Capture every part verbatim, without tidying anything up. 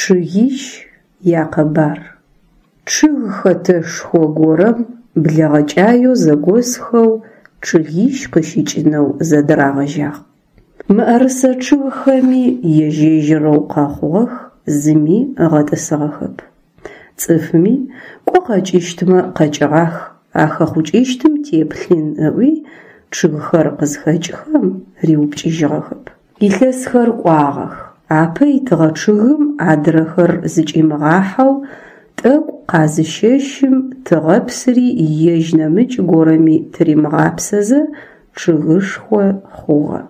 Чъыгищ якъэбар. Чъыг хэтэшхо горэм блэгъэкӏаеу зэгосхэу чъыгищ къыщыкӏынэу зэдырагъэжьагъ. Мыӏэрысэ чъыгхэми ежь-ежьырэу къэхъугъэх, зыми ыгъэтӏысыгъэхэп. Цӏыфми, кӏо къэкӏыщтмэ къэкӏыгъах, ахэхъукӏыщтым теплъын ыӏуи, чъыгхэр къызхэкӏхэм риупкӏыжьыгъэхэп. Илъэсхэр кӏуагъэх, апэ итыгъэ чъыгым адрэхэр зыкӏимыгъахьэу, тӏэкӏу къазыщэщым тыгъэпсыри ежь нэмыкӏ горэми тыримыгъапсэзэ чъыгышхо хъугъэ.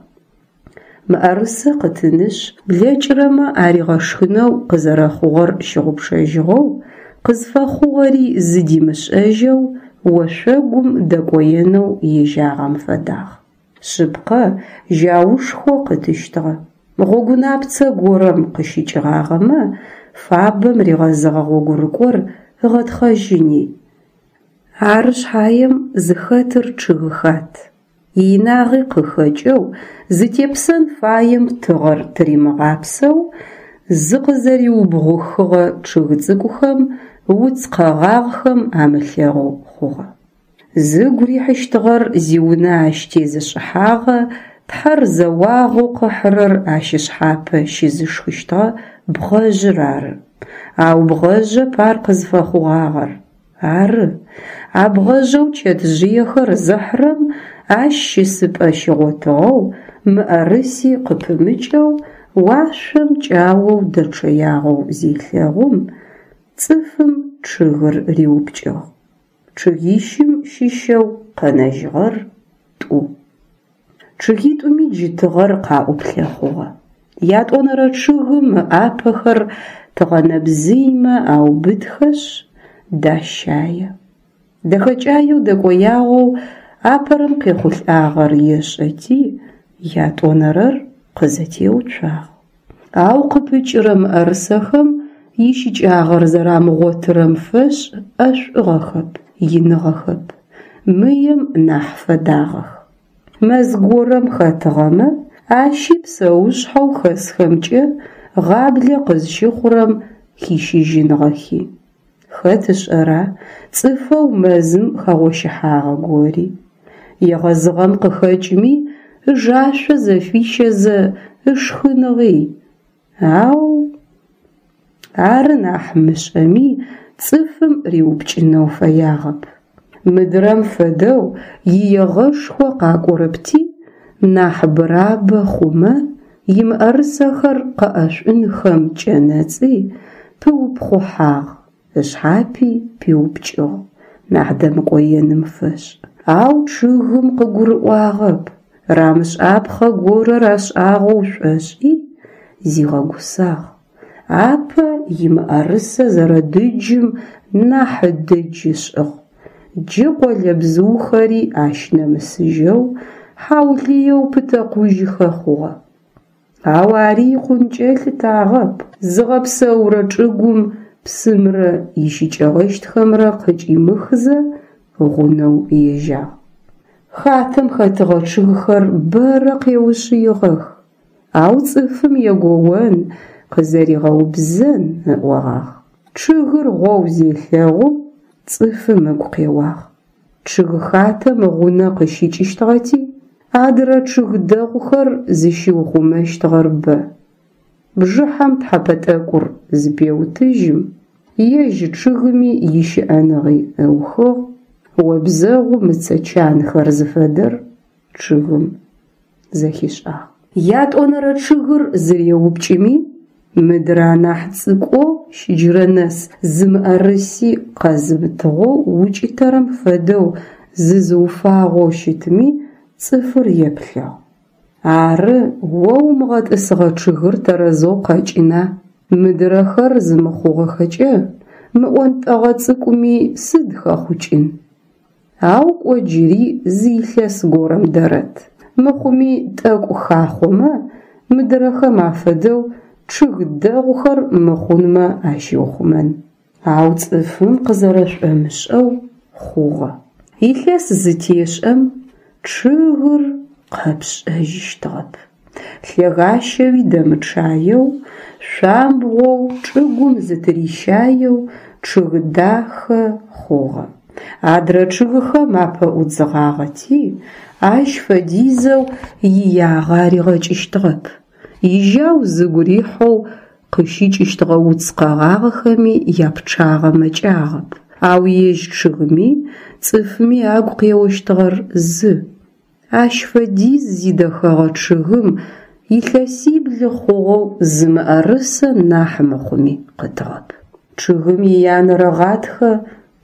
Мыӏэрысэ къытынышъ, блэкӏырэмэ аригъэшхынэу къызэрэхъугъэр щыгъупшэжьыгъэу, къызфэхъугъэри зыдимышӏэжьэу ошъогум дэкӏоенэу ежьагъэм фэдагъ. Шъыпкъэ, жьаушхо къытыщтыгъэ. Гъогунапцэ горэм къыщыкӏыгъагъэмэ, фабэм ригъэзыгъэ гъогурыкӏор ыгъэтхъэжьыни. Ары шъхьаем зыхэтыр чъыгхат. Иинагъи къыхэкӏэу, зытепсэн фаем тыгъэр тыримыгъапсэу, зыкъызэриубгъухыгъэ чъыг цӏыкӏухэм, уц къэгъагъхэм амылъэгъоу хъугъэ. Зыгу рихьыщтыгъэр зиунэ ащ тезышӏыхьагъэ, тхьэр зэуагъэу къыхьырэр ащ ышъхьапэ щызышхыщтыгъэ бгъэжъыр ары. Ау бгъэжъэп ар къызфэхъугъагъэр. Ары, а бгъэжъэу чэтжъыехэр зыхьырэм ащ щысыпӏэ щигъотыгъэу, мыӏэрыси къыпымыкӏэу, уашъом кӏаоу дэчъэягъэу зелъэгъум, цӏыфым чъыгыр риупкӏыгъ. Чъыгищым щыщэу къэнэжьыгъэр тӏу. Чъыгитӏуми джы тыгъэр къаӏуплъэ хъугъэ. Ятӏонэрэ чъыгым ыӏапэхэр тыгъэнэбзыймэ аубытхэшъ, дащае. Дэхэкӏаеу дэкӏоягъэу апэрэм къехъулӏагъэр ешӏэти, ятӏонэрэр къызэтеуцуагъ. Ау къыпыкӏырэ мыӏэрысэхэм ищыкӏагъэр зэрамыгъотырэм фэшӏ ӏэшӏугъэхэп, иныгъэхэп, мыем нахь фэдагъэх. Мэз горэм хэтыгъэмэ, ащи псэушъхьэу хэсхэмкӏэ гъаблэ къызщыхъурэм хищыжьыныгъэхи. Хэт ышӏэра цӏыфэу мэзым хэгъощыхьагъэ гори. Егъэзыгъэм къыхэкӏми ыжашъо зэфищэзэ ышхыныгъи. Ау ары нахь мышӏэми цӏыфым риупкӏынэу фэягъэп. Мыдрэм фэдэу иегъэшхо къакӏорэпти, нахь бырабэ хъумэ, имыӏэрысэхэр къэӏэшӏунхэм кӏэнэцӏи, пыупхъухьагъ, ышъхьапи пиупкӏыгъ, нахь дэмыкӏоеным фэшӏ. Ау чъыгым къыгурыӏуагъэп, рамышӏапхъэ горэ рашӏагъэу шӏошӏи, зигъэгусагъ. Апэ имыӏэрысэ зэрэдыджым нахь дыдж ышӏыгъ. Джы къолэбзыухэри ащ нэмысыжьэу, хьаулыеу пытэкъужьыхэ хъугъэ. Ау ари икъункӏэ ылъытагъэп. Зыгъэпсэурэ чӏыгум псымрэ ищыкӏэгъэщтхэмрэ къыкӏимыхзэ гъунэу ежьагъ. Хатэм хэтыгъэ чъыгхэр бэрэ къеушъыигъэх, ау цӏыфым егоон, къызэригъэубзэн ыӏогъагъ. Чъыгыр гъоу зелъэгъум, цӏыфым ыгу къеуагъ. Чъыг хатэм гъунэ къыщыкӏыщтыгъэти, адрэ чъыг дэгъухэр зыщиухъумэщтыгъэр бэ. Бжыхьэм тхьэпэ тӏэкӏур зыпеутыжьым, ежь чъыгыми ищыӏэныгъи ыухыгъ, обзэгъум ыцэ чанхэр зыфэдэр чъыгым зэхишӏагъ. Ятӏонэрэ чъыгыр зыреупкӏыми, мыдрэ анахь цӏыкӏоу щыджырэ нэс зы мыӏэрыси къэзымытыгъэу укӏытэрэм фэдэу зызыуфагъэу щытми цӏыфыр еплъыгъ. Ары, о умыгъэтӏысыгъэ чъыгыр тэрэзэу къэкӏына, мыдрэхэр зымыхъугъэхэкӏэ, мы ӏонтӏэгъэ цӏыкӏуми сыд хэхъукӏын. Ау кӏо джыри зы илъэс горэм дэрэт. Мыхъуми тӏэкӏу хахъомэ, мыдрэхэм афэдэу чъыг дэгъухэр мыхъунмэ ащиухъумэн. Ау цӏыфым къызэрэшӏомышӏэу хъугъэ. Илъэс зытешӏэм чъыгыр къэпшӏэжьыщтыгъэп. Лъэгащэуи дэмычъаеу, шъуамбгъоу, чӏыгум зытырищаеу чъыг дахэ хъугъэ. Адрэ чъыгхэм апэӏудзыгъагъэти, ащ фэдизэу иягъэ аригъэкӏыщтыгъэп. Ижьау зыгу рихьэу къыщыкӏыщтыгъэ уц къэгъагъэхэми япчъагъэ мэкӏагъэп. Ау ежь чъыгми цӏыфми агу къеощтыгъэр зы: ащ фэдиз зидэхэгъэ чъыгым илъэсибл хъугъэу зы мыӏэрысэ нахь мыхъуми къытыгъэп. Чъыгым иянэрэ гъатхэ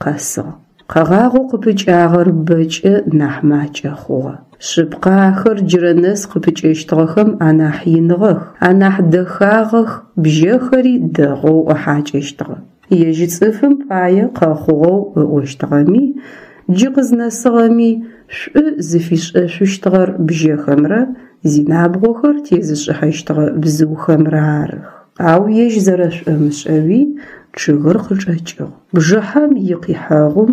къэсыгъ. Къэгъагъэу къыпыкӏагъэр бэкӏэ нахь макӏэ хъугъэ. Шъыпкъэ, ахэр джырэ нэс къыпыкӏэщтыгъэхэм анахь иныгъэх, анахь дэхагъэх, бжьэхэри дэгъоу ыхьакӏэщтыгъэ. Ежь цӏыфым пае къэхъугъэу ыӏощтыгъэми, джы къызнэсыгъэми шӏу зыфишӏэшъущтыгъэр бжьэхэмрэ зинабгъохэр тезышӏыхьэщтыгъэ бзыухэмрэ арых. Ау ежь зэрэшӏомышӏэуи чъыгыр къычӏэкӏыгъ. Бжыхьэм икъихьэгъум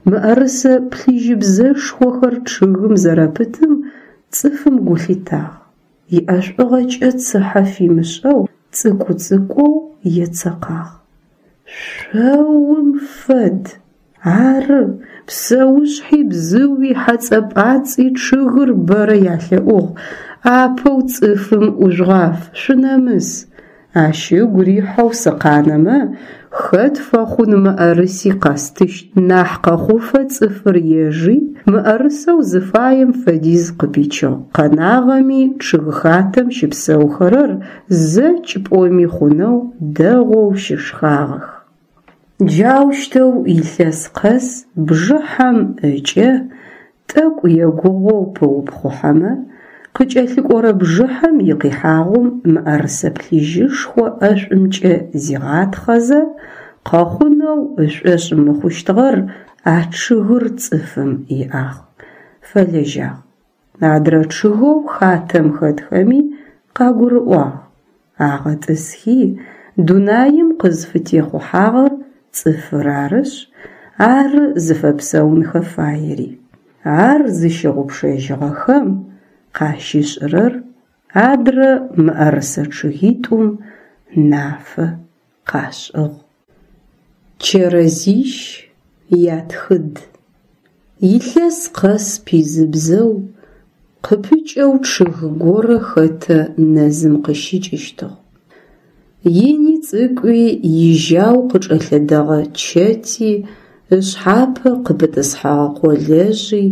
мыӏэрысэ плъыжьыбзэшхохэр чъыгым зэрэпытым цӏыфым гу лъитагъ, иӏэшӏугъэкӏэ цыхьэ фимышӏэу цӏыкӏу-цӏыкӏоу ецэкъагъ. Шъоум фэд! Ары, псэушъхьи, бзыуи, хьэцӏэ-пӏацӏи чъыгыр бэрэ ялъэӏугъ: «Апэу цӏыфым ӏужъугъаф, шъунэмыс! Ащ ыгу рихьэу сыкъанэмэ, хэт фэхъун мыӏэрыси къэстыщт». Нахь къэхъуфэ цӏыфыр ежи, мыӏэрысэу зыфаем фэдиз къыпичыгъ, къэнагъэми чъыгхатэм щыпсэухэрэр зэкӏ пӏоми хъунэу дэгъоу щышхагъэх. Джаущтэу илъэс къэс бжыхьэм ыкӏэ тӏэкӏу егугъоу пыупхъухьэмэ, къыкӏэлъыкӏорэ бжыхьэм икъихьагъум мыӏэрысэ плъыжьышхо ӏэшӏумкӏэ зигъатхъэзэ къэхъунэу ышӏошъ мыхъущтыгъэр а чъыгыр цӏыфым иӏагъ, фэлэжьагъ. Адрэ чъыгэу хатэм хэтхэми къагурыӏуагъ, агъэтӏысхи, дунаим къызфытехъухьагъэр цӏыфыр арышъ, ары зыфэпсэунхэ фаери. Ар зыщыгъупшэжьыгъэхэм къащышӏырэр адрэ мыӏэрысэ чъыгитӏум нафэ къашӏыгъ. Чэрэзищ ятхыд. Илъэс къэс пизыбзэу къыпыкӏэу чъыг горэ хэтэ нэзым къыщыкӏыщтыгъ. Ини цӏыкӏуи ижьау къычӏэлъэдэгъэ чэти, ышъхьапэ къыпытӏысхьэгъэ къолэжъи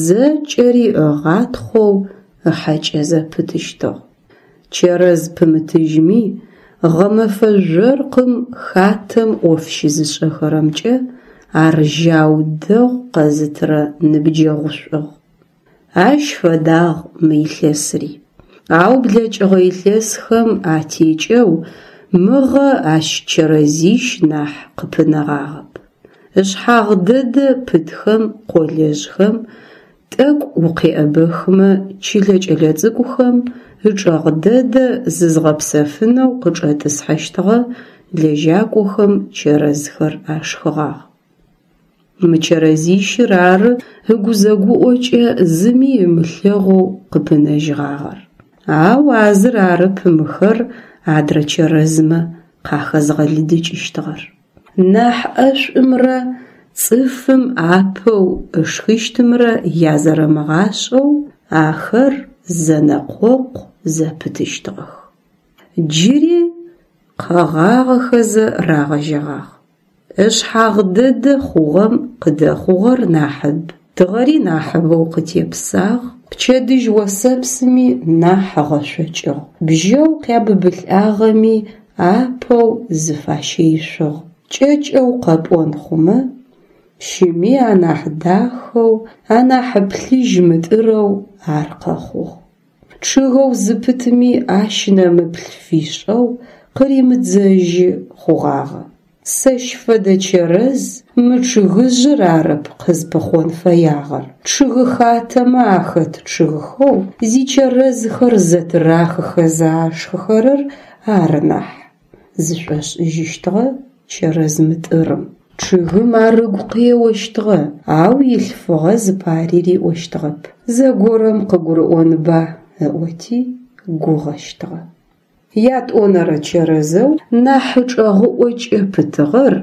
зэкӏэри ыгъатхъоу ыхьэкӏэ зэпытыщтыгъ. Чэрэз пымытыжьми, гъэмэфэ жъоркъым хатэм ӏоф щызышӏэхэрэмкӏэ ар жьау дэгъу къэзытырэ ныбджэгъушӏугъ. Ащ фэдагъ мы илъэсри. Ау блэкӏыгъэ илъэсхэм атекӏэу мыгъэ ащ чэрэзищ нахь къыпынэгъагъэп. Ышъхьагъ дэдэ пытхэм къолэжъхэм, тӏэкӏу укъеӏэбэхмэ чылэ кӏэлэцӏыкӏухэм, ычӏэгъ дэдэ зызгъэпсэфынэу къычӏэтӏысхьэщтыгъэ лэжьакӏохэм чэрэзхэр ашхыгъагъ. Мы чэрэзищыр ары ыгузэгуӏокӏэ зыми ымылъэгъоу къыпынэжьыгъагъэр. Ау а зыр арэп мыхэр адрэ чэрэзмэ къахэзгъэлыдыкӏыщтыгъэр. Нахь ӏэшӏумрэ цӏыфым апэу ышхыщтымрэ язэрэмыгъашӏэу ахэр зэнэкъокъу зэпытыщтыгъэх. Джыри къэгъагъэхэзэ рагъэжьэгъагъ. Ышъхьагъ дэдэ хъугъэм къыдэхъугъэр нахьыб, тыгъэри нахьыбэу къытепсагъ, пчэдыжь осэпсыми нахь ыгъэшъокӏыгъ, бжьэу къябыбылӏагъэми апэу зыфащэишъугъ. Кӏэкӏэу къэпӏон хъумэ, щыми анахь дахэу, анахь плъыжь мытӏырэу ар къэхъугъ. Чъыгэу зыпытми ащ нэмыплъ фишӏэу къыримыдзэжьы хъугъагъэ. Сэщ фэдэ чэрэз мы чъыгыжъыр арэп къызпыхъон фэягъэр, чъыг хатэмэ ахэт чъыгхэу зичэрэзхэр зэтырахыхэзэ ашхыхэрэр ары нахь, зышӏошӏыжьыщтыгъэ чэрэз мытӏырым. Чъыгым ар ыгу къеощтыгъэ, ау илъфыгъэ зыпари риӏощтыгъэп. Зэгорэм къыгурыӏонба ыӏоти гугъэщтыгъэ. Ятӏонэрэ чэрэзэу нахь ычӏэгъыӏокӏэ пытыгъэр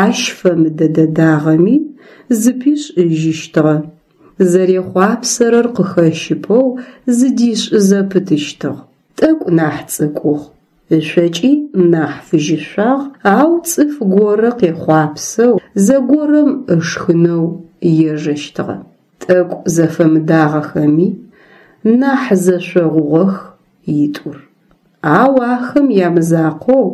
ащ фэмыдэ дэдагъэми, зыпишӏыжьыщтыгъэ, зэрехъуапсэрэр къыхэщыпэу зыдишӏы зэпытыщтыгъ. Тӏэкӏу нахь цӏыкӏугъ, ышъокӏи нахь фыжьышъуагъ, ау цӏыф горэ къехъуапсэу зэгорэм ышхынэу ежэщтыгъэ. Тӏэкӏу зэфэмыдагъэхэми, нахь зэшъогъугъэх итӏур. Ау ахэм ямызакъоу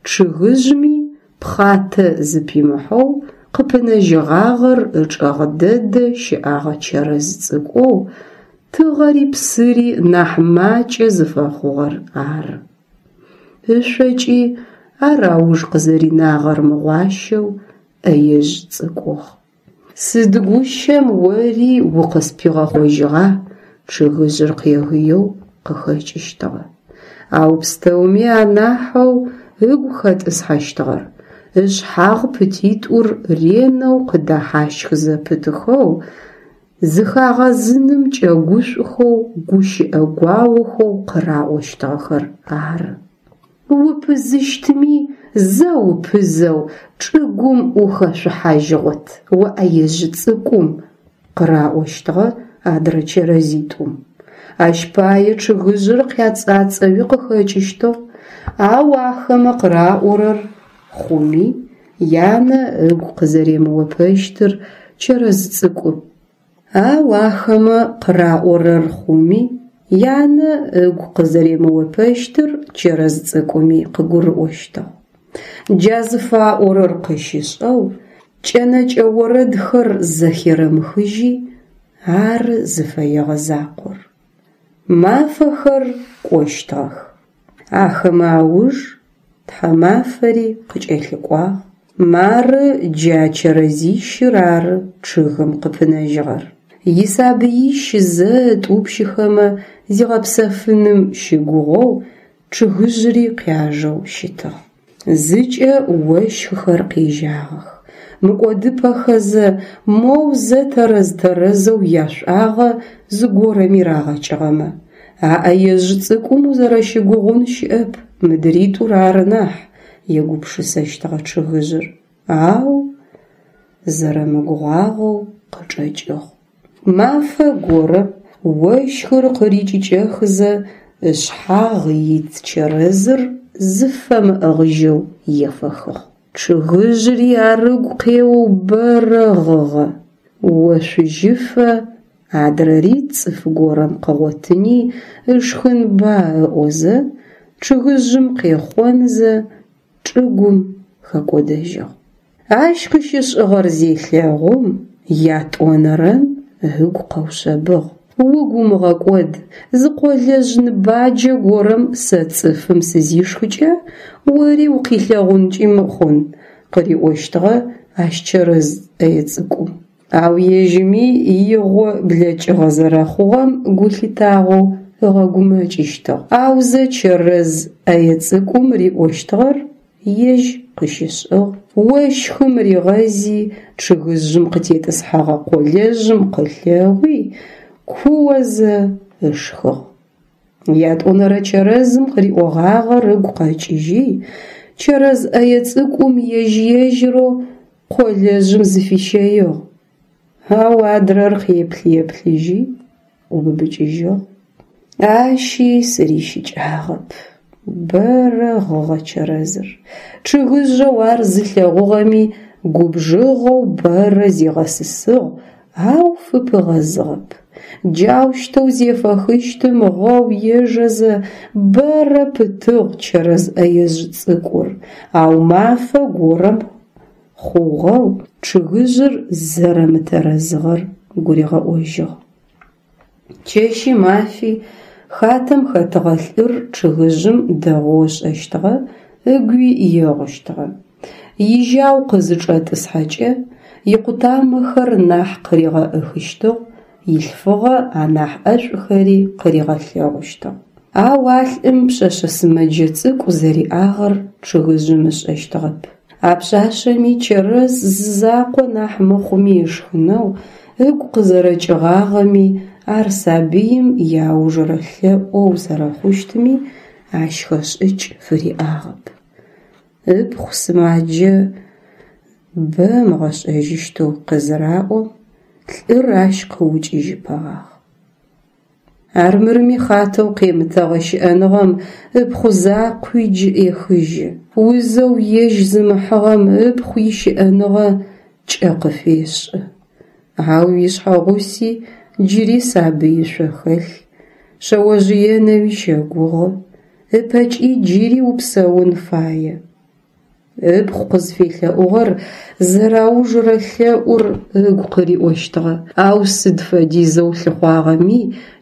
чъыгыжъми пхъатэ зыпимыхьэу къыпынэжьыгъагъэр ычӏэгъ дэдэ щыӏагъэ чэрэз цӏыкӏоу тыгъэри псыри нахь макӏэ зыфэхъугъэр ары. Ышъокӏи ар ауж къызэринагъэр мыгъуащэу ӏэежъ цӏыкӏугъ. Сыд гущэм ори укъыспигъэхъожьыгъа, чъыгыжъыр къегыеу къыхэкӏыщтыгъэ. Ау пстэуми анахьэу ыгу хэтӏысхьэщтыгъэр ышъхьагъ пытитӏур ренэу къыдэхьащх зэпытыхэу, зыхагъэзыным кӏэгушӏухэу гущыӏэ гуаохэу къыраӏощтыгъэхэр ары. Упызыщтми, зэ упызэу чӏыгум ухэшъухьажьыгъот, о ӏэежъ цӏыкӏум, къыраӏощтыгъэ адрэ чэрэзитӏум. Ащ пае чъыгыжъыр къяцӏацӏэуи къыхэкӏыщтыгъ, ау ахэмэ къыраӏорэр хъуми, янэ ыгу къызэремыопэщтыр чэрэз цӏыкӏу. Ау ахэмэ къыраӏорэр хъуми, янэ ыгу къызэремыопэщтыр чэрэз цӏыкӏуми къыгурыӏощтыгъ. Джа зыфаӏорэр къыщышӏэу кӏэнэкӏэ орэдхэр зэхерэмыхыжьи, ары зыфэегъэ закъор. Мафэхэр кӏощтыгъэх. Ахэмэ ауж тхьамафэри къыкӏэлъыкӏуагъ. Мары джа чэрэзищыр ары чъыгым къыпынэжьыгъэр. Исабыищ зэ ытӏупщыхэмэ зигъэпсэфыным щыгугъэу чъыгыжъри къяжэу щытыгъ. Зыкӏэ ощхыхэр къежьагъэх. Мыкӏодыпэхэзэ, моу зэ тэрэз-тэрэзэу яшӏуагъэ зыгорэми рагъэкӏыгъэмэ. А ӏэежъ цӏыкӏум узэрэщыгугъун щыӏэп, мыдритӏур ары нахь, егупшысэщтыгъэ чъыгыжъыр. Ау зэрэмыгугъагъэу къычӏэкӏыгъ. Мафэ горэм ощхыр къырикӏыкӏэхызэ ышъхьагъ ит чэрэзыр зыфэмыӏыгъыжьэу ефэхыгъ. Чъыгыжъри ар ыгу къеоу бэрэ гъыгъэ. Ошъужьыфэ адрэри цӏыф горэм къыгъотыни ышхынба ыӏозэ, чъыгыжъым къехъонзэ чӏыгум хэкӏодэжьыгъ. Ащ къыщышӏыгъэр зелъэгъум, ятӏонэрэм ыгу къэушъэбыгъ. Угу умыгъэкӏод, зы къолэжъ ныбаджэ горэм сэ цӏыфым сызишхыкӏэ, ори укъилъэгъункӏи хъун, къыриӏощтыгъэ ащ чэрэз ӏэе цӏыкӏум. Ау ежьыми игъо блэкӏыгъэ зэрэхъугъэм гу лъитагъэу ыгъэгумэкӏыщтыгъ. Аузэ чэрэз ӏэе цӏыкӏум риӏощтыгъэр ежь къыщышӏыгъ. Ощхым ригъэзи чъыгыжъым къытетӏысхьэгъэ къолэжъым къылъэгъуи, куозэ ышхыгъ. Ятӏонэрэ чэрэзым къыриӏогъагъэр ыгу къэкӏыжьи, чэрэз ӏэе цӏыкӏум ежь-ежьырэу къолэжъым зыфищэигъ. Ау адрэр къеплъ-еплъыжьи, ӏубыбыкӏыжьыгъ. Ащи сырищыкӏагъэп. Бэрэ гъыгъэ чэрэзыр. Чъыгыжъэу ар зылъэгъугъэми губжыгъэу бэрэ зигъэсысыгъ, ау фыпыгъэзыгъэп. Джаущтэу зефэхыщтым гъэу ежэзэ бэрэ пытыгъ чэрэз ӏэежъ цӏыкӏур, ау мафэ горэм хъугъэу чъыгыжъыр зэрэмытэрэзыгъэр гуригъэӏожьыгъ. Чэщи мафи хатэм хэтыгъэ лӏыр чъыгыжъым дэгъоу ышӏэщтыгъэ, ыгуи егъущтыгъэ. Ижьау къызычӏэтӏысхьэкӏэ, икъутамэхэр нахь къыригъэӏыхыщтыгъ, илъфыгъэ анахь ӏэшӏухэри къыригъэлъэгъущтыгъ. Ау а лӏым пшъэшъэ сымэджэ цӏыкӏу зэриӏагъэр чъыгыжъым ышӏэщтыгъэп. А пшъашъэми чэрэз зызакъо нахь мыхъуми ышхынэу ыгу къызэрэкӏыгъагъэми, ар сабыим иаужырэ лъэӏоу зэрэхъущтми ащ хэшӏыкӏ фыриӏагъэп. Ыпхъу сымаджэ бэ ымыгъэшӏэжьыщтэу къызыраӏом, лӏыр ащ къыукӏыжьыпэгъагъ. Армырми хъатэу къемытэгъэ щыӏэныгъэм ыпхъу закъуи джы ӏехыжьы. Узэу ежь зымыхьыгъэм ыпхъу ищыӏэныгъэ кӏэ къыфешӏы. Ау ишъхьэгъуси джыри сабыишъо хэлъ, шъэожъыенэуи щэгугъы, ыпэкӏи джыри упсэун фае. Ыпхъу къызфелъэӏугъэр зэрэаужрэ лъэӏур ыгу къыриӏощтыгъэ, ау сыд фэдизэу лъыхъуагъэми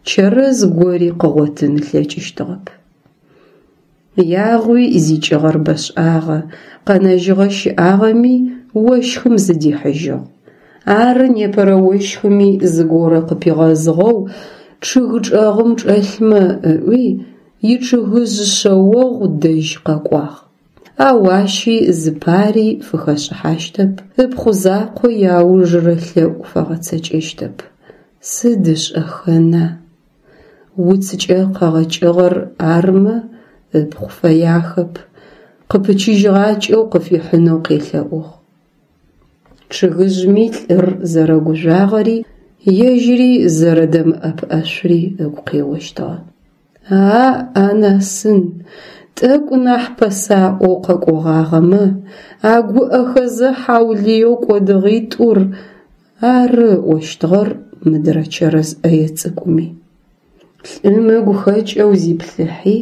чэрэз гори къыгъотын ылъэкӏыщтыгъэп. Ягъуи зикӏыгъэр бэшӏагъэ, къэнэжьыгъэ щыӏагъэми ощхым зыдихьыжьыгъ. Ары непэрэ ощхыми зыгорэ къыпигъэзыгъэу чъыг чӏэгъым чӏэлъмэ ыӏуи, ичъыгыжъ шъэогъу дэжь къэкӏуагъ. Ау ащи зыпари фыхэшӏыхьащтэп, ыпхъу закъо иаужрэ лъэӏу фэгъэцэкӏэщтэп. Сыд ышӏэхэна? Уцкӏэ къэгъэкӏыгъэр армэ, ыпхъу фэяхэп, къыпычыжьыгъакӏэу къыфихьынэу къелъэӏугъ. Чъыгыжъми лӏыр зэрэгужъуагъэри, ежьыри зэрэдэмыӏэпыӏэшъури ыгу къеощтыгъэ. А-анасын, тӏэкӏу нахь пэсаӏоу къэкӏогъагъэмэ, а гуӏэхэзэ хьаулыеу кӏодыгъитӏур ары ыӏощтыгъэр мыдрэ чэрэз ӏэе цӏыкӏуми. Лӏым ыгу хэкӏэу зиплъыхьи,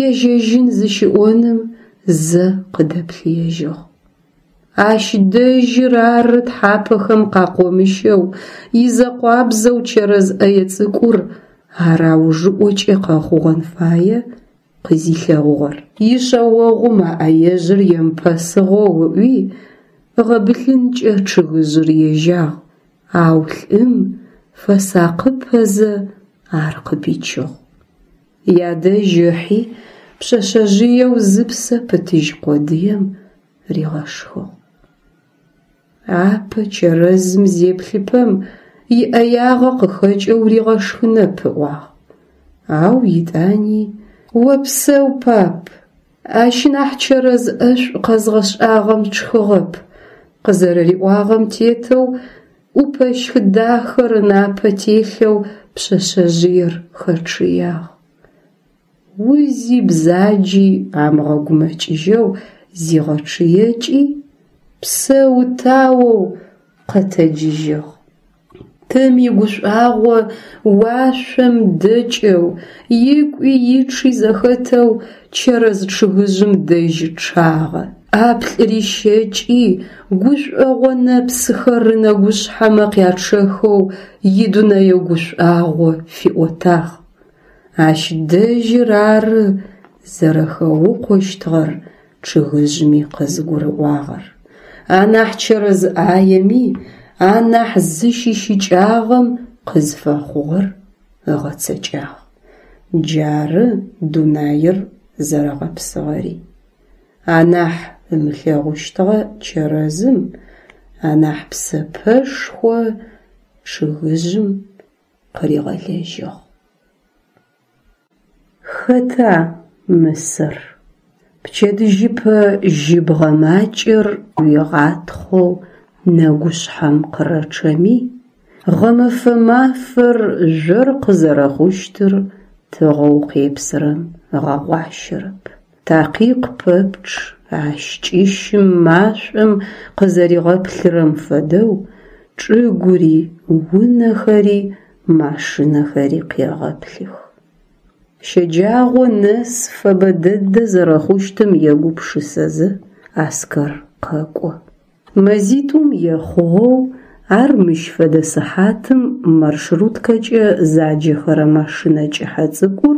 ежьэжьын зыщиӏоным зэ къыдэплъыежьыгъ. Ащ дэжьыр ары тхьапэхэм къакъомыщэу, изэкъуабзэу чэрэз ӏэе цӏыкӏур ар аужыӏокӏэ къэхъугъэн фае къызилъэгъугъэр. Ишъэогъум а ӏэежъыр емыпэсыгъэу ыӏуи, ыгъэбылъынкӏэ чъыгыжъыр ежьагъ, ау лӏым фэсакъыпэзэ ар къыпичыгъ. Ядэжь ыхьи, пшъэшъэжъыеу зыпсэ пытыжь къодыем ригъэшхыгъ. Апэ чэрэзым зеплъыпэм иӏэягъэ къыхэкӏэу ригъэшхынэп ыӏуагъ. Ау итӏани «Опсэу, пап, ащ нахь чэрэз ӏэшӏу къэзгъэшӏагъэм тшхыгъэп» къызэрэриӏуагъэм тетэу ӏупэщх дахэр ынапэ телъэу пшъэшъэжъыер хэчъыягъ. Узи бзаджи амыгъэгумэкӏыжьэу зигъэчъыекӏи, псэу-таоу къэтэджыжьыгъ. Тым игушӏуагъо уашъом дэкӏэу, икӏуи ичъи зэхэтэу чэрэз чъыгыжъым дэжь чъагъэ. ӏаплӏ рищэкӏи, гушӏогъо нэпсыхэр ынэгушъхьэмэ къячъэхэу идунэе гушӏуагъо фиӏотагъ. Ащ дэжьыр ары зэрэхэукъощтыгъэр чъыгыжъми къызыгурыӏуагъэр. Анахь чэрэз ӏаеми анахь зыщищыкӏагъэм къызфэхъугъэр ыгъэцэкӏагъ. Джары дунаир зэрэгъэпсыгъэри. Анахь ымылъэгъущтыгъэ чэрэзым анахь псэпэшхо чъыгыжъым къыригъэлэжьыгъ. Хэта мысэр? Пчэдыжьыпэ жьыбгъэ макӏэр уигъатхъоу нэгушъхьэм къырэчъэми, гъэмэфэ мафэр жъоркъы зэрэхъущтыр тыгъэу къепсырэм ыгъэгъуащэрэп. Такъикъ пэпчъ ащ кӏыщым машӏом къызэригъэплъырэм фэдэу чӏыгури, унэхэри, машинэхэри къегъэплъых. Щэджагъо нэс фэбэ дэдэ зэрэхъущтым егупшысэзэ Аскэр къэкӏо. Мэзитӏум ехъугъэу ар мыщ фэдэ сыхьатым маршруткэкӏэ заджэхэрэ машинэ кӏыхьэ цӏыкӏур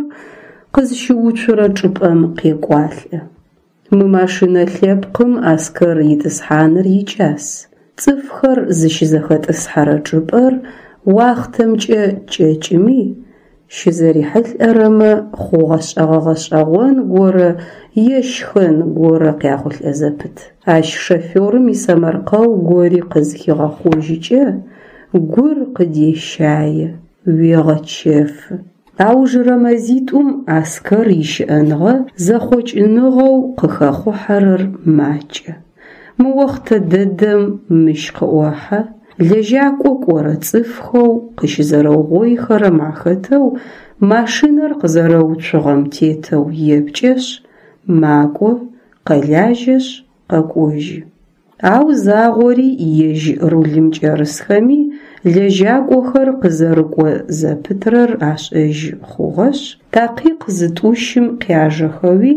къызщыуцурэ чӏыпӏэм къекӏуалӏэ. Мы машинэ лъэпкъым Аскэр итӏысхьаныр икӏас. Цӏыфхэр зыщызэхэтӏысхьэрэ чӏыпӏэр уахътэмкӏэ кӏэкӏыми, щызэрихьылӏэрэмэ хъугъэ-шӏэгъэ гъэшӏэгъон горэ е щхэн горэ къяхъулӏэ зэпыт. Ащ шоферым исэмэркъэу гори къызхигъэхъожьыкӏэ, гур къыдещае, уегъэчэфы. Аужырэ мэзитӏум Аскэр ищыӏэныгъэ зэхъокӏыныгъэу къыхэхъухьэрэр макӏэ. Мы охътэ дэдэм мыщ къыӏохьэ, лэжьакӏо кӏорэ цӏыфхэу къыщызэрэугъоихэрэм ахэтэу машинэр къызэрэуцугъэм тетэу епкӏэшъ, макӏо, къэлажьэшъ, къэкӏожьы. Ау загъори ежь рулым кӏэрысхэми лэжьакӏохэр къызэрыкӏо зэпытрэр ашӏэжьы хъугъэшъ, такъикъ зытӏущым къяжэхэуи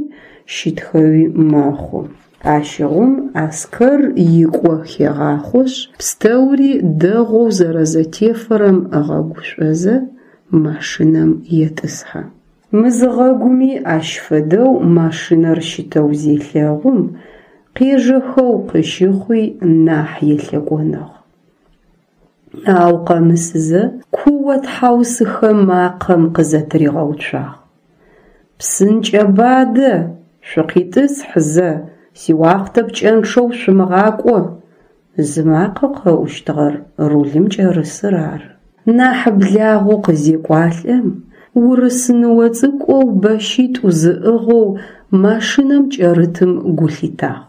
щытхэуи мэхъу. Ащыгъум Аскэр икӏо хегъахъошъ, пстэури дэгъоу зэрэзэтефэрэм ыгъэгушӏозэ, машинэм етӏысхьэ. Мызыгъэгуми ащ фэдэу машинэр щытэу зелъэгъум, къежэхэу къыщыхъуи нахь елъэкӏоныгъ. Ау къэмысызэ куо-тхьаусыхэ макъэм къызэтыригъэуцуагъ. «Псынкӏэба адэ, шъукъитӏысхь зэ, сиуахътэ пкӏэнчъэу шъумыгъакӏо!» Зымакъэ къэӏущтыгъэр рулым кӏэрысыр ары. Нахь благъэу къызекӏуалӏэм, урыс ныо цӏыкӏоу бэщитӏу зыӏыгъэу машинэм кӏэрытым гу лъитагъ.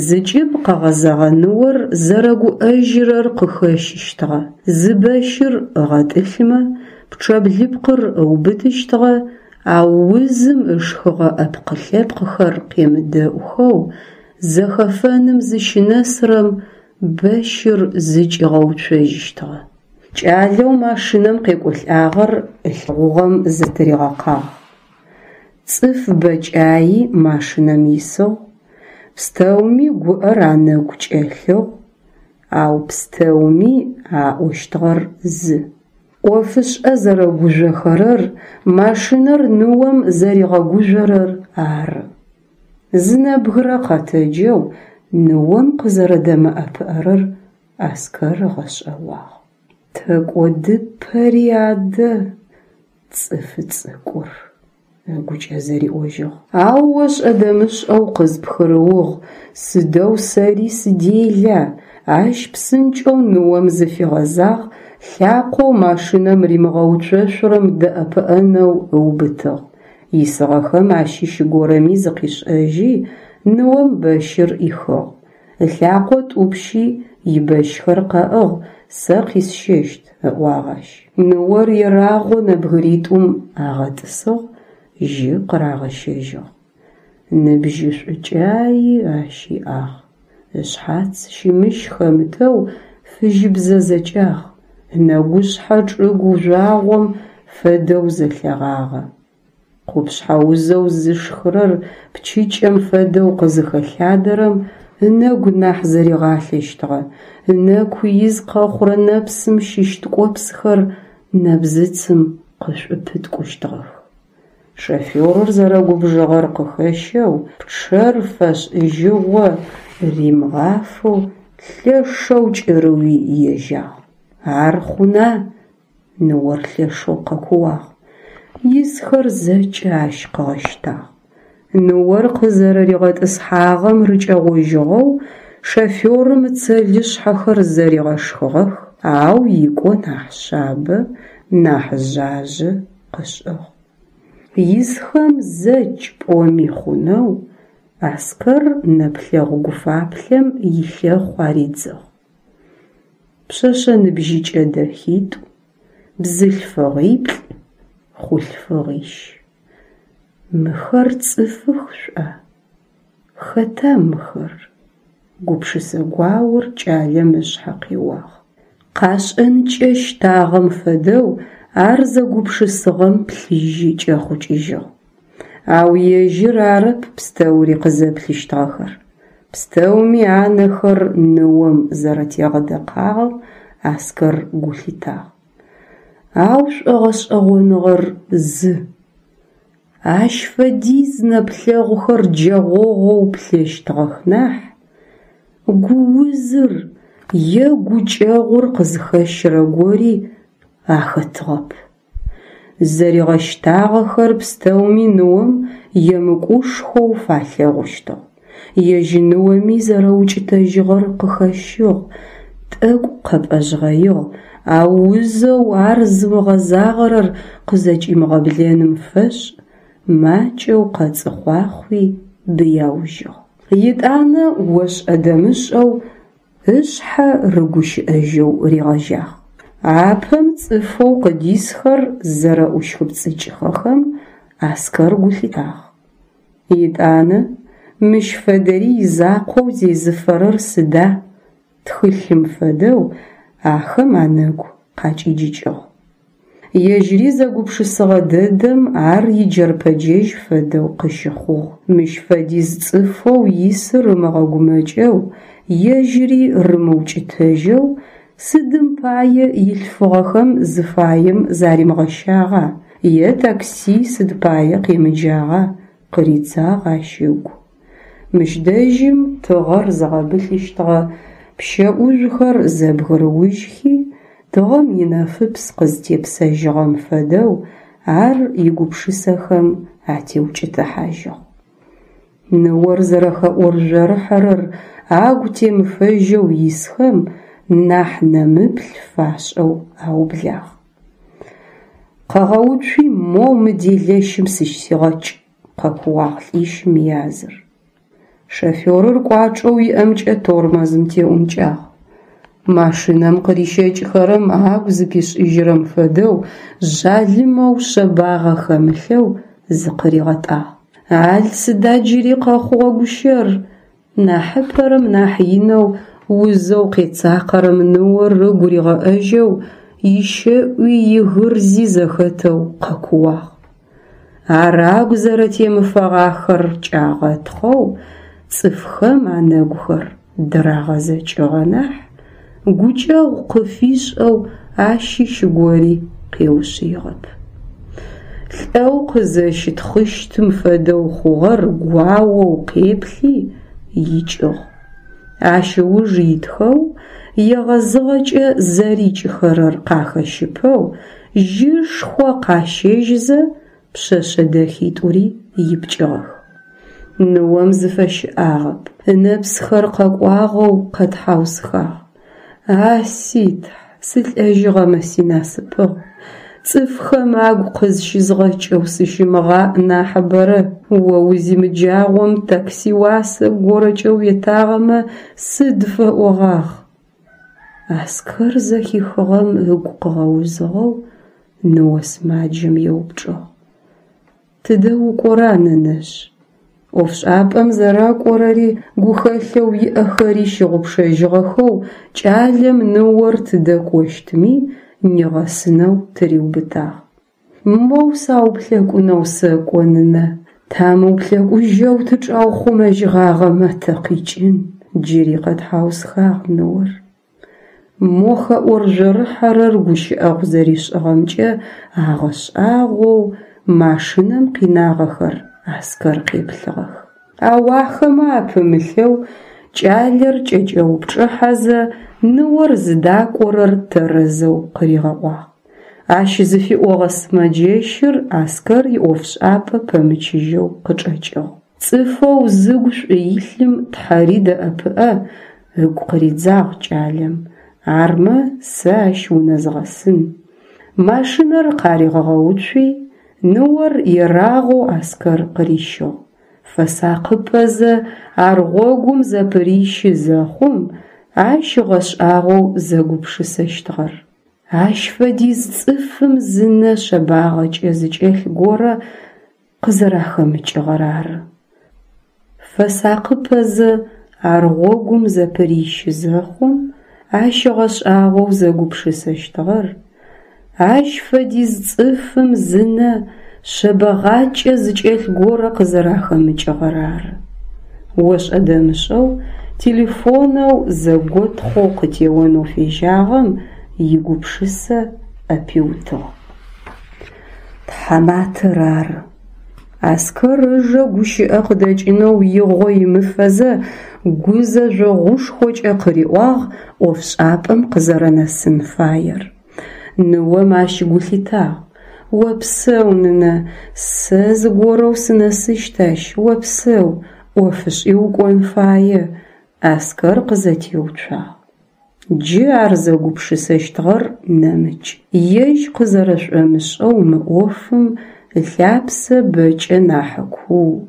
Зыкӏыб къэгъэзэгъэ ныор зэрэгуӏэжьырэр къыхэщыщтыгъэ, зы бэщыр ыгъэтӏылъымэ, пчъэблыпкъыр ыубытыщтыгъэ, ау узым ышхыгъэ ӏэпкъ-лъэпкъхэр къемыдэӏухэу зэхэфэным зыщынэсырэм бэщыр зыкӏигъэуцожьыщтыгъэ. Кӏалэу машинэм къекӏолӏагъэр ылъэгъугъэм зэтыригъэкъагъ. Цӏыф бэкӏаи машинэм исыгъ, пстэуми гуӏэр анэгу кӏэлъыгъ, ау пстэуми аӏощтыгъэр зы. ӏофышӏэ зэрэгужъохэрэр машинэр ныом зэригъэгужъорэр ары. Зы нэбгырэ къэтэджэу ныом къызэрэдэмыӏэпыӏэрэр Аскэр ыгъэшӏэгъуагъ. Тэкӏодыпэри адэ, цӏыфы цӏыкӏур, ыгукӏэ зэриӏожьыгъ. Ау ошӏэ-дэмышӏэу къызпхырыугъ, сыдэу сэри сыдела, ащ псынкӏэу ныом зыфигъэзагъ, лъакъоу машинэм римыгъэуцошъурэм дэӏэпыӏэнэу ыубытыгъ. Исыгъэхэм ащыщ горэми зыкъишӏэжьи, ныом бэщыр ӏихыгъ. Ылъакъо тӏупщи, ибэщхэр къэӏыгъ, сэ къисщэщт, ыӏуагъ ащ. Ныор ерагъэу нэбгыритӏум агъэтӏысыгъ, жьы къырагъэщэжьыгъ. Ныбжьышӏукӏаи ащ иӏагъ, ышъхьац щымыщ хэмытэу фыжьыбзэ зэкӏагъ, ынэгушъхьэ чӏыгу жъуагъом фэдэу зэлъэгъагъэ. Къупшъхьэ узэу зышхырэр пчыкӏэм фэдэу къызыхэлъадэрэм ынэгу нахь зэригъалъэщтыгъэ, ынэку из къэхъурэ нэпсым щыщ ткӏопсхэр нэбзыцым къышӏупыткӏущтыгъэх. Шоферыр зэрэгубжыгъэр къыхэщэу, пчъэр фэшӏыжьыгъо римыгъафэу лъэшэу кӏырыуи ежьагъ. Ар хъуна? Ныор лъэшэу къэкууагъ. Исхэр зэкӏэ ащ къыгъэщтагъ. Ныор къызэрэригъэтӏысхьагъэм рыкӏэгъожьыгъэу шоферым ыцэлышъхьэхэр зэригъэшхыгъэх, ау икӏо нахь шъабэ, нахь жъажъэ къышӏыгъ. Исхэм зэкӏ пӏоми хъунэу Аскэр нэплъэгъу гуфаплъэм илъэхъу аридзыгъ. Пшъэшъэ ныбжьыкӏэ дэхитӏу, бзылъфыгъиплӏ, хъулъфыгъищ. Мыхэр цӏыфых шӏуа? Хэта мыхэр? Гупшысэ гуаор кӏалэм ышъхьэ къеуагъ. Къашӏэнкӏэ щтагъэм фэдэу ар зэгупшысыгъэм плъыжьы кӏэхъукӏыжьыгъ. Ау ежьыр арэп пстэури къызэплъыщтыгъэхэр. Пстэуми анэхэр ныом зэрэтегъэдэкъагъэм Аскэр гу лъитагъ. Ау шӏогъэшӏэгъоныгъэр зы. Ащ фэдиз нэплъэгъухэр джэгъогъоу плъэщтыгъэх нахь, гуузыр е гукӏэгъур къызхэщырэ гори ахэтыгъэп. Зэригъэщтагъэхэр пстэуми ныом емыкӏушхоу фалъэгъущтыгъ. Ежь ныоми зэрэукӏытэжьыгъэр къыхэщыгъ, тӏэкӏу къэпӏэжъгъэигъ, Ау узэу ар зымыгъэзагъэрэр къызэкӏимыгъэблэным фэшӏ макӏэу къэцӏыхъуахъуи быяужьыгъ. Етӏанэ ошӏэ-дэмышӏэу ышъхьэ рыгущыӏэжьэу ригъэжьагъ. Апэм цӏыфэу къыдисхэр зэрэӏущхыпцӏыкӏыхэхэм Аскэр гу лъитагъ. Етӏанэ мыщ фэдэри изакъоу зезыфэрэр сыда? Тхылъым фэдэу ахэм анэгу къакӏиджыкӏыгъ. Ежьыри зэгупшысэгъэ дэдэм ар иджэрпэджэжь фэдэу къыщыхъугъ. Мыщ фэдиз цӏыфэу исыр ымыгъэгумэкӏэу, ежьыри рымыукӏытэжьэу сыдым пае илъфыгъэхэм зыфаем заримыгъэщагъа е такси сыд пае къемыджагъа къыридзагъ ащ ыгу. Мыщ дэжьым тыгъэр зыгъэбылъыщтыгъэ пщэ ӏужъухэр зэбгырыужьхи, тыгъэм инэфыпс къызтепсэжьыгъэм фэдэу ар игупшысэхэм атеукӏытыхьажьыгъ. Ныор зэрэхэӏоржъорыхьэрэр агу темыфэжьэу исхэм нахь нэмыплъ фашӏэу аублагъ. Къэгъэуцуи моу мы делэщым сыщигъэкӏ! Къэкууагъ лӏищым языр. Шоферыр кӏуачӏэу иӏэмкӏэ тормозым теӏункӏагъ. Машинэм къырищэкӏхэрэм агу зыпишӏыжьырэм фэдэу жъалымэу шъэбагъэ хэмылъэу зыкъыригъэтӏагъ. Ал сыда джыри къэхъугъэ гущэр? Нахьыпэрэм нахь инэу узэу къецакъэрэм ныор ыгу ригъэӏэжьэу ищэӏуи игырзи зэхэтэу къэкууагъ. Ар агу зэрэтемыфэгъахэр кӏагъэтхъэу цӏыфхэм анэгухэр дырагъэзэкӏыгъэ нахь, гукӏэгъу къыфишӏэу ащыщ гори къеушъыигъэп. Лӏэу къызэщытхъыщтым фэдэу хъугъэр гуаоу къеплъи икӏыгъ. Ащ ыуж итхэу, егъэзыгъэкӏэ зэрикӏыхэрэр къахэщыпэу, жьышхо къащэжьызэ пшъэшъэ дэхитӏури ипкӏыгъэх. Ныом зыфэщыӏагъэп, ынэпсхэр къэкӏуагъэу къэтхьаусхагъ: «А си Тхь, сылӏэжьыгъэмэ синасыпыгъ, цӏыфхэм агу къызщызгъэкӏэу сыщымыгъаӏ нахьыбэрэ, о узимыджагъом такси уасэ горэкӏэ уетагъэмэ сыд фэӏогъагъ». Аскэр зэхихыгъэм ыгу къыгъэузыгъэу ныо сымаджэм еупчӏыгъ: «Тыдэ укӏора, нэнэжъ?» ӏофшӏапӏэм зэрэкӏорэри гухэлъэу иӏэхэри щыгъупшэжьыгъэхэу кӏалэм ныор тыдэ кӏощтми нигъэсынэу тыриубытагъ. Моу сауплъэкӏунэу сэкӏо, нынэ, тамыуплъэкӏужьэу тычӏаухъумэжьыгъагъэмэ тэ къикӏын, джыри къэтхьаусхагъ ныор. Мо хэӏоржъорыхьэрэр гущыӏэгъу зэришӏыгъэмкӏэ агъэшӏагъоу машинэм къинагъэхэр Аскэр къеплъыгъэх. Ау ахэмэ апымылъэу кӏалэр кӏэкӏэупчӏыхьэзэ ныор зыдакӏорэр тэрэзэу къыригъэӏуагъ. Ащ зыфиӏогъэ сымэджэщыр Аскэр иӏофшӏапӏэ пэмычыжьэу къычӏэкӏыгъ. Цӏыфэу зыгу шӏу илъым Тхьэри дэӏэпыӏэ, ыгу къыридзагъ кӏалэм. Армэ сэ ащ унэзгъэсын. Машинэр къаригъэгъэуцуи, ныор ерагъэу Аскэр къырищыгъ. Фэсакъыпэзэ ар гъогум зэпырищы зэхъум, ащ ыгъэшӏагъоу зэгупшысэщтыгъэр: ащ фэдиз цӏыфым зынэ шъэбагъэкӏэ зыкӏэлъ горэ къызэрахэмыкӏыгъэр ары. Фэсакъыпэзэ ар гъогум зэпырищы зэхъум, ащ ыгъэшӏагъоу зэгупшысэщтыгъэр: ащ фэдиз цӏыфым зынэ шъэбэгъакӏэ зыкӏэлъ горэ къызэрахэмыкӏыгъэр ары. Ошӏэ-дэмышӏэу телефонэу зэготхъоу къытеонэу фежьагъэм игупшысэ ӏэпиутыгъ. Тхьаматэр ары. Аскэр ыжэ гущыӏэ къыдэкӏынэу игъо имыфэзэ гузэжъогъушхокӏэ къыриӏуагъ ӏофшӏапӏэм къызэрэнэсын фаер. Ныом ащ гу лъитагъ. Опсэу, нынэ, сэ зыгорэу сынэсыщт ащ, опсэу, ӏофышӏи укӏон фае, Аскэр къызэтеуцуагъ. Джы ар зэгупшысэщтыгъэр нэмыкӏ. Ежь къызэрэшӏомышӏэу мы ӏофым ылъапсэ бэкӏэ нахь куу.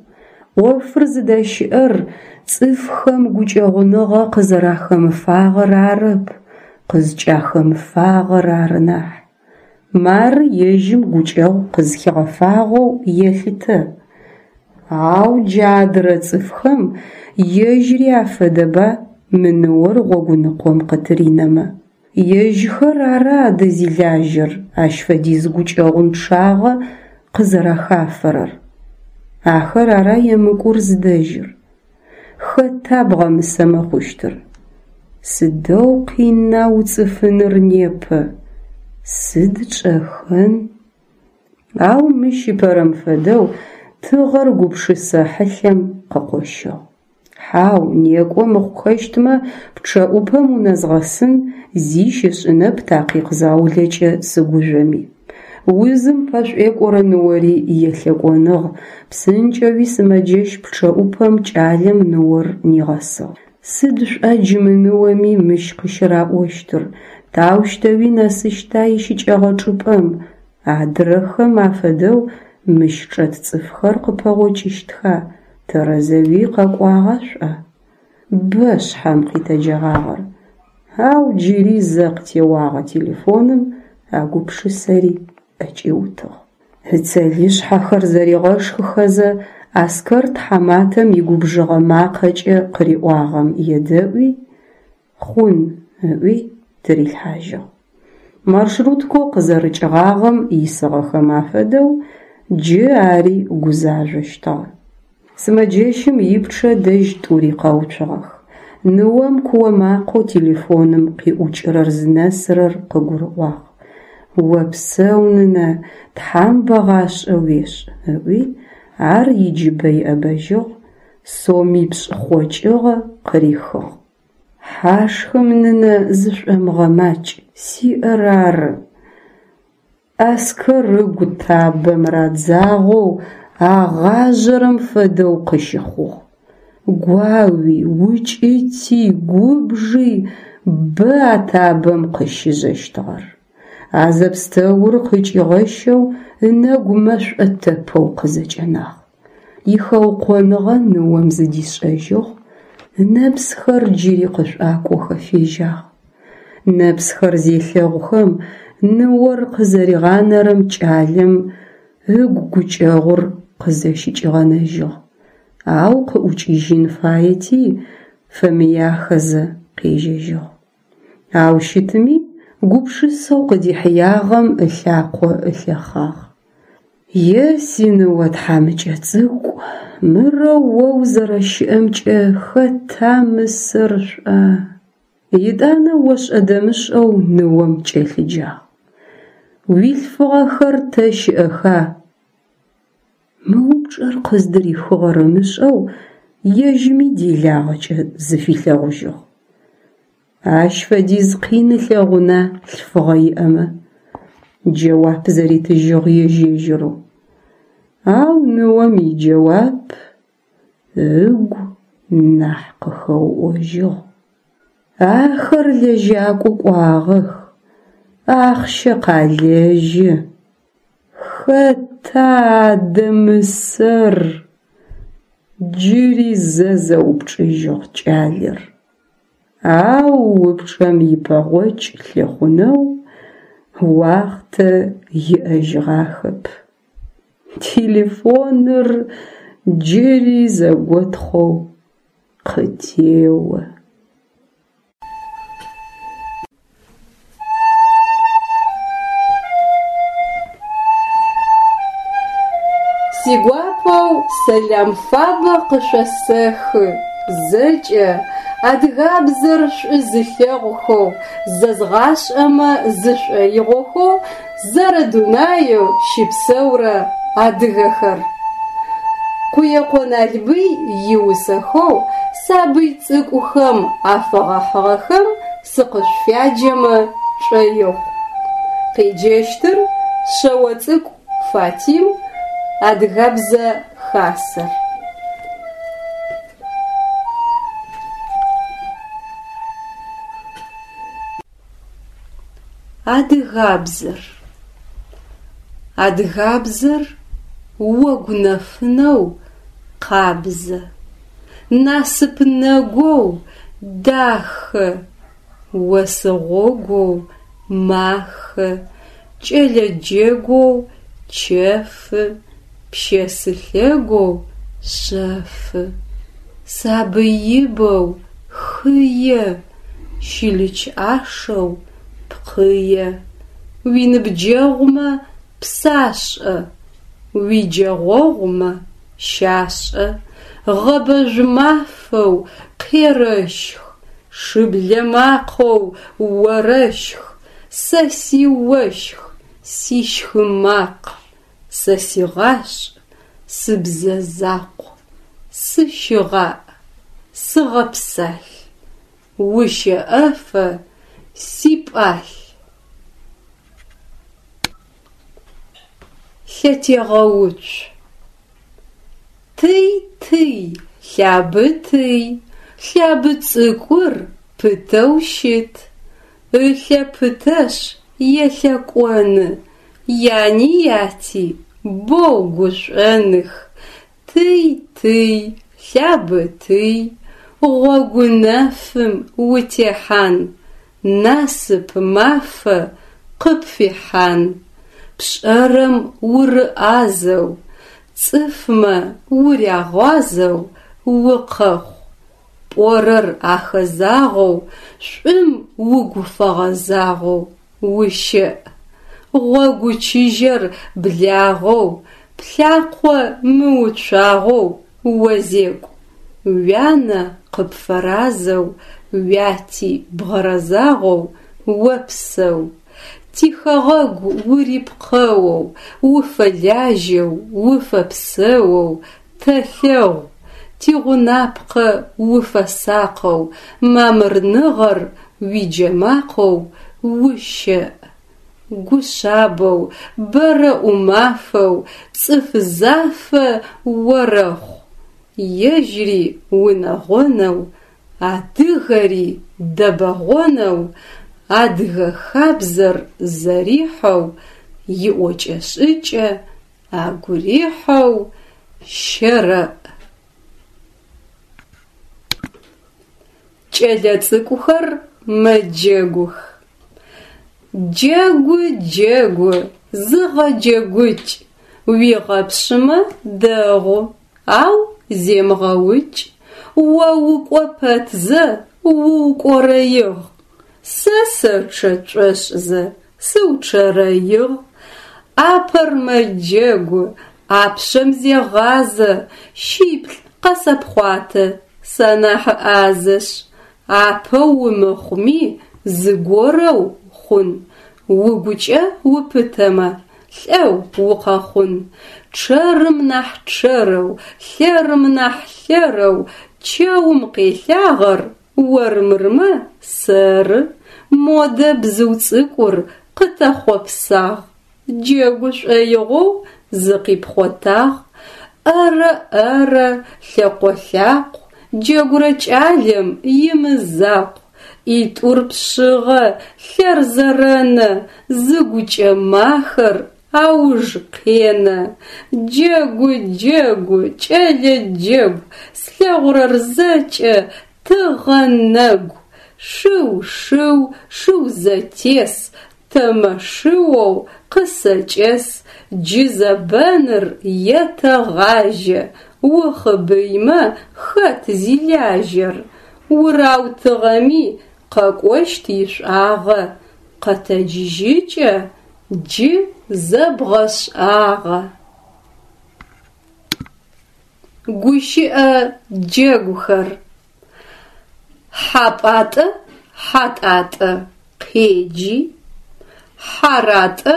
Ӏофыр зыдэщыӏэр цӏыфхэм гукӏэгъуныгъэ къызэрахэмыфагъэр арэп, къызкӏахэмыфагъэр ары нахь. Мары ежьым гукӏэгъу къызхигъэфагъэу елъытэ. Ау джа адырэ цӏыфхэм ежьри афэдэба мы ныор гъогуныкъом къытыринэмэ? Ежьхэр ара адэ зилажьэр ащ фэдиз гукӏэгъунчъагъэ къызэрахафэрэр? Ахэр ара емыкӏур зыдэжьыр? Хэта бгъэмысэмэ хъущтыр? Сыдэу къина уцӏыфыныр непэ! Сыд тшӏэхэн? Ау мыщ ыпэрэм фэдэу тыгъэр гупшысэ хьылъэм къыкъощыгъ. Хьау, некӏо мыхъухэщтмэ, пчъэӏупэм унэзгъэсын, зи щышӏынэп такъикъ заулэкӏэ сыгужъоми. Узым пэшӏуекӏорэ ныори елъэкӏоныгъ, псынкӏэуи сымэджэщ пчъэӏупэм кӏалэм ныор нигъэсыгъ. Сыд шӏуа джы мы ныоми мыщ къыщыраӏощтыр, таущтэуи нэсыщта ищыкӏэгъэ чӏыпӏэм, адырэхэм афэдэу мыщ чӏэт цӏыфхэр къыпэгъокӏыщтха, тэрэзэуи къэкӏуагъа шӏуа? Бэ шъхьэм къитэджэгъагъэр, ау джыри зэ къытеуагъэ телефоным а гупшысэри ӏэкӏиутыгъ. Ыцэлышъхьэхэр зэригъэшхыхэзэ Аскэр тхьаматэм игубжыгъэ макъэкӏэ къыриӏуагъэм едэӏуи, «хъун» ыӏуи тырилъхьажьыгъ. Маршруткэу къызэрыкӏыгъагъэм исыгъэхэм афэдэу джы ари гузажъощтыгъэ. Сымэджэщым ипчъэ дэжь тӏури къэуцугъэх. Ныом куо макъэу телефоным къиӏукӏырэр зынэсырэр къыгурыӏуагъ. «Опсэу, нынэ, Тхьам бэгъашӏэ уешӏ», ыӏуи ар иджыбэ иӏэбэжьыгъ, сомипшӏ хъокӏыгъэ къырихыгъ. «Хьашхым, нынэ, зышӏомыгъэмакӏ, сиӏэр ары». Аскэр ыгу табэм радзагъэу агъажъэрэм фэдэу къыщыхъугъ. Гуауи, укӏыти, губжи бэ а табэм къыщыжъэщтыгъэр. А зэпстэур къыкӏигъэщэу ынэгу мэшӏо тэпэу къызэкӏэнагъ. Ихэукъоныгъэ ныом зыдишӏэжьыгъ, ынэпсхэр джыри къышӏуакӏохэ фежьагъ. Нэпсхэр зелъэгъухэм ныор къызэригъанэрэм кӏалэм ыгу гукӏэгъур къызэщыкӏигъэнэжьыгъ, ау къыӏукӏыжьын фаети, фэмыяхэзэ къежьэжьыгъ. Ау щытми гупшысэу къыдихьыягъэм ылъакъо ылъэхъагъ. Е синыо тхьамыкӏэ цӏыкӏу, мырэу о узэрэщыӏэмкӏэ хэта мысэр шӏуа? Етӏанэ ошӏэ-дэмышӏэу ныом кӏэлъыджагъ: «Уилъфыгъэхэр тэ щыӏэха?» Мы упчӏэр къыздырихыгъэр ымышӏэу ежьыми делагъэкӏэ зыфилъэгъужьыгъ. Ащ фэдиз къин ылъэгъуна лъфыгъэ иӏэмэ? Джэуап зэритыжьыгъ ежь-ежьырэу. Ау ныом иджэуап ыгу нахь къыхэуӏожьыгъ. Ахэр лэжьакӏо кӏуагъэх, ахъщэ къалэжьы. Хэта адэ мысэр? Джыри зэ зэупчӏыжьыгъ кӏалэр. Ау упчӏэм ипэгъокӏ лъыхъунэу уахътэ иӏэжьыгъахэп. Телефоныр джыри зэготхъоу къытео. Сигуапэу сэлам фабэ къышъосэхы зэкӏэ адыгабзэр шӏу зылъэгъухэу, зэзгъашӏэмэ зышӏоигъохэу зэрэдунаеу щыпсэурэ адыгэхэр. Къуекъо Налбый иусэхэу сабый цӏыкӏухэм афэгъэхьыгъэхэм сыкъышъуфяджэмэ шӏоигъу. Къеджэщтыр Шъэоцӏыкӏу Фатим, Адыгэбзэ Хасэр. Адыгабзэр. Адыгабзэр огу нэфынэу къабзэ, насып нэгоу дахэ, осы гъогоу махэ, кӏэлэ джэгоу чэфы, пщэсы лъэгоу шъэфы, сабый ибэу хые, щылыч ӏашэу пкъые, уиныбджэгъумэ псашӏэ, уиджэгъогъумэ щашӏэ, гъэбэжъу мафэу къерэщх, шыблэ макъэу орэщх, сэ сиощх, сищхы макъ, сэ сигъашӏ, сыбзэ закъу, сыщыгъаӏ, сыгъэпсалъ, ущэӏэфэ сипӏалъ. Лъэтегъэуцу. Тый-тый, лъабытый, лъабы цӏыкӏур пытэу щыт, ылъэ пытэшъ елъэкӏоны, яни яти боу гушӏоных. Тый-тый, лъабытый, гъогу нэфым утехьан, насып мафэ къыпфихьан, пшӏэрэм урыӏазэу, цӏыфмэ урягъуазэу укъэхъу, пӏорэр ахэзагъэу, шӏум угу фэгъэзагъэу ущэӏ, гъогу чыжьэр благъэу, плъакъо мыуцуагъэу озекӏу, уянэ къыпфэразэу, уяти бгъэрэзагъэу опсэу, тихэгъэгу урипкъэоу, уфэлажьэу, уфэпсэоу тэлъэгъу, тигъунапкъэ уфэсакъэу, мамырныгъэр уиджэмакъэу ущэӏ, гушъабэу, бэрэ ӏумафэу, цӏыф зафэ орэхъу, ежьри унэгъонэу, адыгэри дэбэгъонэу, адыгэ хабзэр зэрихьэу, иӏокӏэ-шӏыкӏэ агу рихьэу щэрэӏ. Кӏэлэцӏыкӏухэр мэджэгух. Джэгу, джэгу, зыгъэджэгукӏ, уигъэпшъымэ дэгъу, ау земыгъэукӏ. О укӏо пэтзэ уукӏорэигъ, сэ сэчъэ тшӏошӏзэ сыучъэрэигъ. Ӏапэр мэджэгу, ӏапшъэм зегъазэ, шиплӏ къэсэпхъуатэ, санахь ӏазэшъ. Апэу умыхъуми зыгорэу хъун, угукӏэ упытэмэ, лӏэу укъэхъун. Чъэрым нахь чъэрэу, лъэрым нахь лъэрэу чэум къелъагъэр ормырмэ сэры. Модэ бзыу цӏыкӏур къытэхъопсагъ, джэгу шӏоигъоу зыкъипхъотагъ. ӏэрэ ӏэрэ, лъэкъо лъакъу, джэгурэ кӏалэм имызакъу. ӏитӏур пшъыгъэ, лъэр зэрэнэ, зыгукӏэ махэр ауж къенэ. Джэгу, джэгу, кӏэлэ джэгу, слъэгъурэр зэкӏэ тыгъэ нэгу. Шыу, шыу, шыу зэтес, тэмэ шыоу къысэкӏэс, джы зэбэныр етэгъажьэ, ухъыбыймэ хэт зилажьэр? Ураутыгъэми къэкӏощт ишӏуагъэ, къэтэджыжьыкӏэ джы зэбгъэшӏагъэ. Гущыӏэ джэгухэр. Хьапӏатӏэ Хьатӏатӏэ къеджи, Хьаратӏэ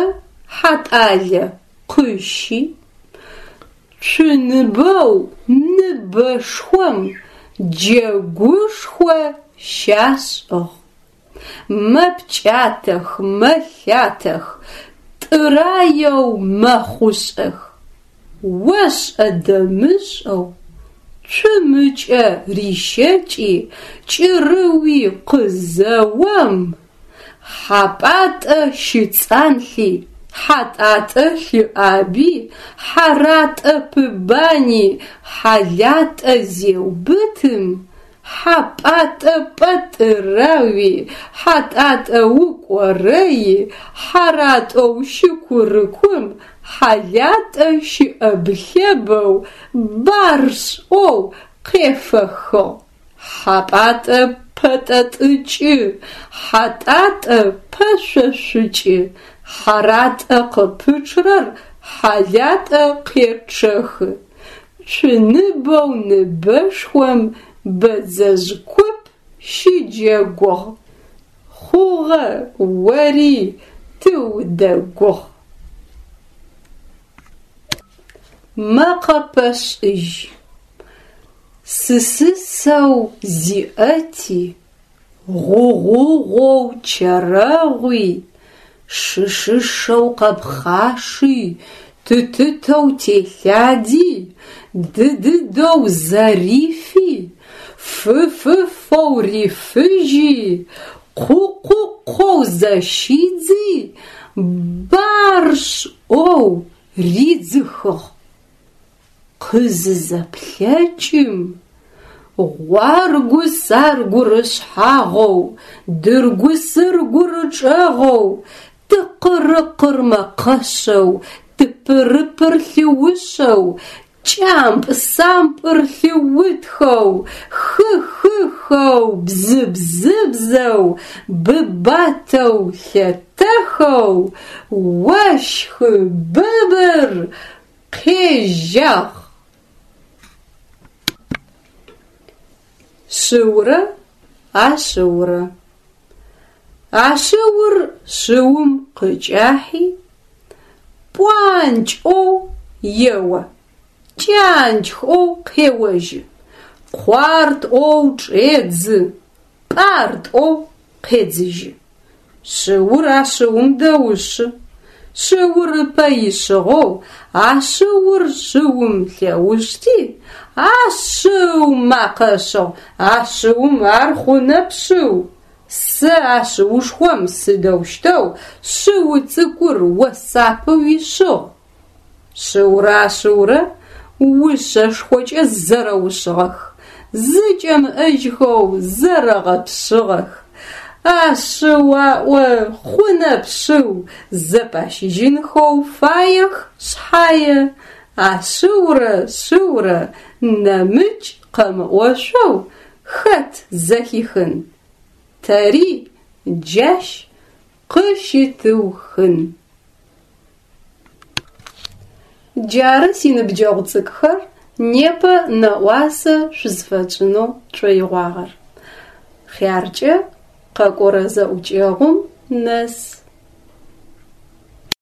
Хьатӏалэ къыщи, цуныбэу ныбэшхом джэгушхо щашӏыгъ. Мэпкӏатэх, мэлъатэх, тӏыраеу мэхъушӏэх. Ошӏэ-дэмышӏэу цум ыкӏэ рищэкӏи кӏырыуи къызэом, Хьапӏатӏэ щыцӏанлъи, Хьатӏатӏэ лъыӏаби, Хьаратӏэ пыбани, Хьалатӏэ зеубытым, Хьапӏатӏэ пӏэтӏырауи, Хьатӏатӏэ укӏорэи, Хьаратӏэу щыкурыкум, Хьалатӏэ щыӏэб-лъэбэу баршӏэу къефэхыгъ. Хьапӏатӏэ пэтӏэтӏыкӏы, Хьатӏатӏэ пэшъошъукӏы, Хьаратӏэ къыпычърэр Хьалатӏэ къечъэхы. Цуныбэу ныбэшхом бэдзэжъ куп щыджэгугъ. Хъугъэ, ори тыудэгугъ. Мэкъэпэшӏыжь. Сысысэу зиӏэти, гъугъугъоу чэрэгъуи, шышышэу къэпхъаши, тытытэу телъади, дыдыдэу зэрифи, фыфыфэу рифыжьи, къукъукъоу зэщидзи, баршӏэу ридзыхыгъ. Къызызэплъэкӏым, гъуаргу-саргур ышъхьагъэу, дыргу-сыргур ычӏэгъэу, тыкъырыкъыр мэкъэшъэу, тыпырыпыр лъыушъэу, кӏампӏ-сампӏыр лъыутхэу, хы-хыхэу, бзы-бзыбзэу, быбатэу лъэтэхэу, ощхы быбыр къежьагъ. Шыурэ ашъыурэ. Ашъыур шыум къыкӏахьи, пӏуанкӏэу ео, кӏанкӏэу къеожьы, къуартӏоу чӏедзы, пӏартӏоу къедзыжьы. Шыур ашъыум дэушъы. Шыур ыпэ ишъыгъэу ашъыур шыум лъэушъти, ашъыу макъэ ышӏыгъ: «Ашъыум ар хъунэп шъыу! Сэ ашъыушхом сыдэущтэу шъыу цӏыкӏур о сапэ уишъыгъ?» Шыурэ ашъыурэ ушъэшхокӏэ зэрэушъыгъэх, зыкӏэмыӏэжьхэу зэрэгъэпшъыгъэх. Ашъыу аӏо, хъунэп шъыу, зэпащыжьынхэу фаех шъхьае, ашъыурэ шъыурэ нэмыкӏ къэмыӏошъоу хэт зэхихын. Тэри джащ къыщытыухын. Джары синыбджэгъу цӏыкӏухэр непэ нэӏуасэ шъузфэтшӏынэу тшӏоигъуагъэр. Хъяркӏэ къэкӏорэ зэӏукӏэгъум нэс.